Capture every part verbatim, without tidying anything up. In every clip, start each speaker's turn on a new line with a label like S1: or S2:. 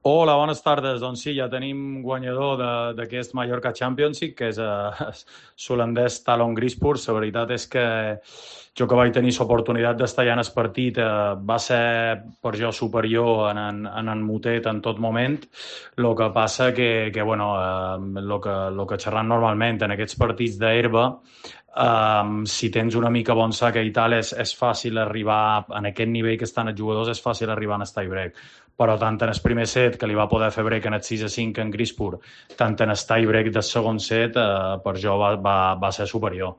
S1: Hola, bones tardes. Doncs sí, ja tenim guanyador de- d'aquest Mallorca Championship, que és eh, l'holandès Talon Grispur. La veritat és que jo que vaig tenir l'oportunitat d'estar allà en el partit, eh, va ser per jo superior en en, en en Mutet en tot moment. El que passa que, que bueno, eh, lo que, lo que xerram normalment en aquests partits d'herba, Um, si tens una mica bon sac i tal, és, és fàcil arribar, en aquest nivell que estan els jugadors, és fàcil arribar en el tie break. Però tant en el primer set, que li va poder fer break en el sis a cinc en Grispur, tant en el tie break del segon set, eh, per jo va, va, va ser superior.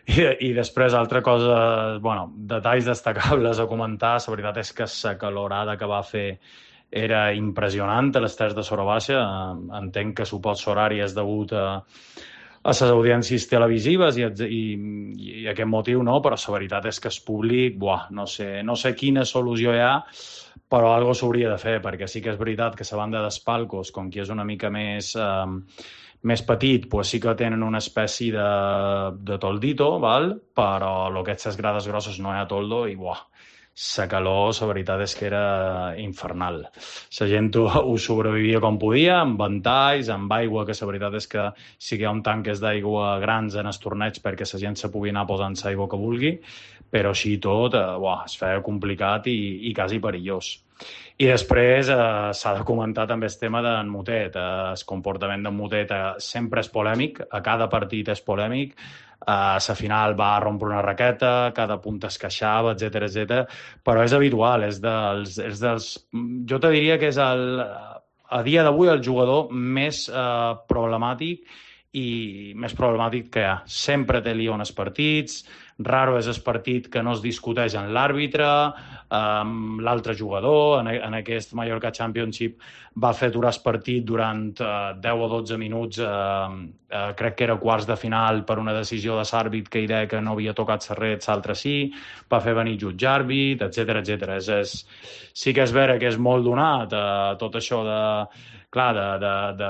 S1: I, I després, altra cosa, bueno, detalls destacables a comentar, la veritat és que la calorada que va fer era impressionant a les tres de Sora Baixa. Eh, entenc que suport horari és degut a, a les audiències televisives i, i, i aquest motiu no, però la veritat és que el públic, buah, no sé, no sé quina solució hi ha, però algo s'hauria de fer, perquè sí que és veritat que la banda dels palcos, com que és una mica més, eh, més petit, pues sí que tenen una espècie de, de toldito, val? Però el que és les grades grosses no hi ha toldo i buah, la calor, la veritat és que era infernal. La gent ho, ho sobrevivia com podia, amb ventalls, amb aigua, que la veritat és que sí que hi ha un tanques d'aigua grans en els torneigs perquè la gent se pugui anar posant l'aigua que vulgui, però així i tot, eh, buah, es feia complicat i, i quasi perillós. I després eh, s'ha de comentar també el tema d'en Mutet. Eh, el comportament d'en Mutet eh, sempre és polèmic, a cada partit és polèmic. A la final va rompre una raqueta, cada punt es queixava, etcètera, etcètera. Però és habitual, és dels, és dels... Jo te diria que és el, a dia d'avui el jugador més eh, problemàtic i més problemàtic que hi ha. Sempre té lío en els partits, raro és el partit que no es discuteix en l'àrbitre, amb l'altre jugador. En, en aquest Mallorca Championship va fer durar el partit durant eh, deu o dotze minuts, eh, eh, crec que era quarts de final per una decisió de l'àrbit que hi deia que no havia tocat la red, l'altre sí, va fer venir jutge àrbit, etcètera, etcètera. És, és, sí que és vera que és molt donat eh, tot això de clar, de, de, de,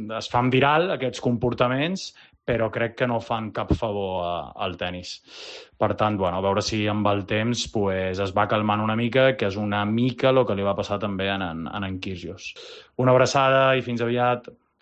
S1: de, es fan viral aquests comportaments, però crec que no fan cap favor a, al tennis. Per tant, bueno, a veure si amb el temps pues, es va calmant una mica, que és una mica el que li va passar també en, en, en Kyrgios. Una abraçada i fins aviat.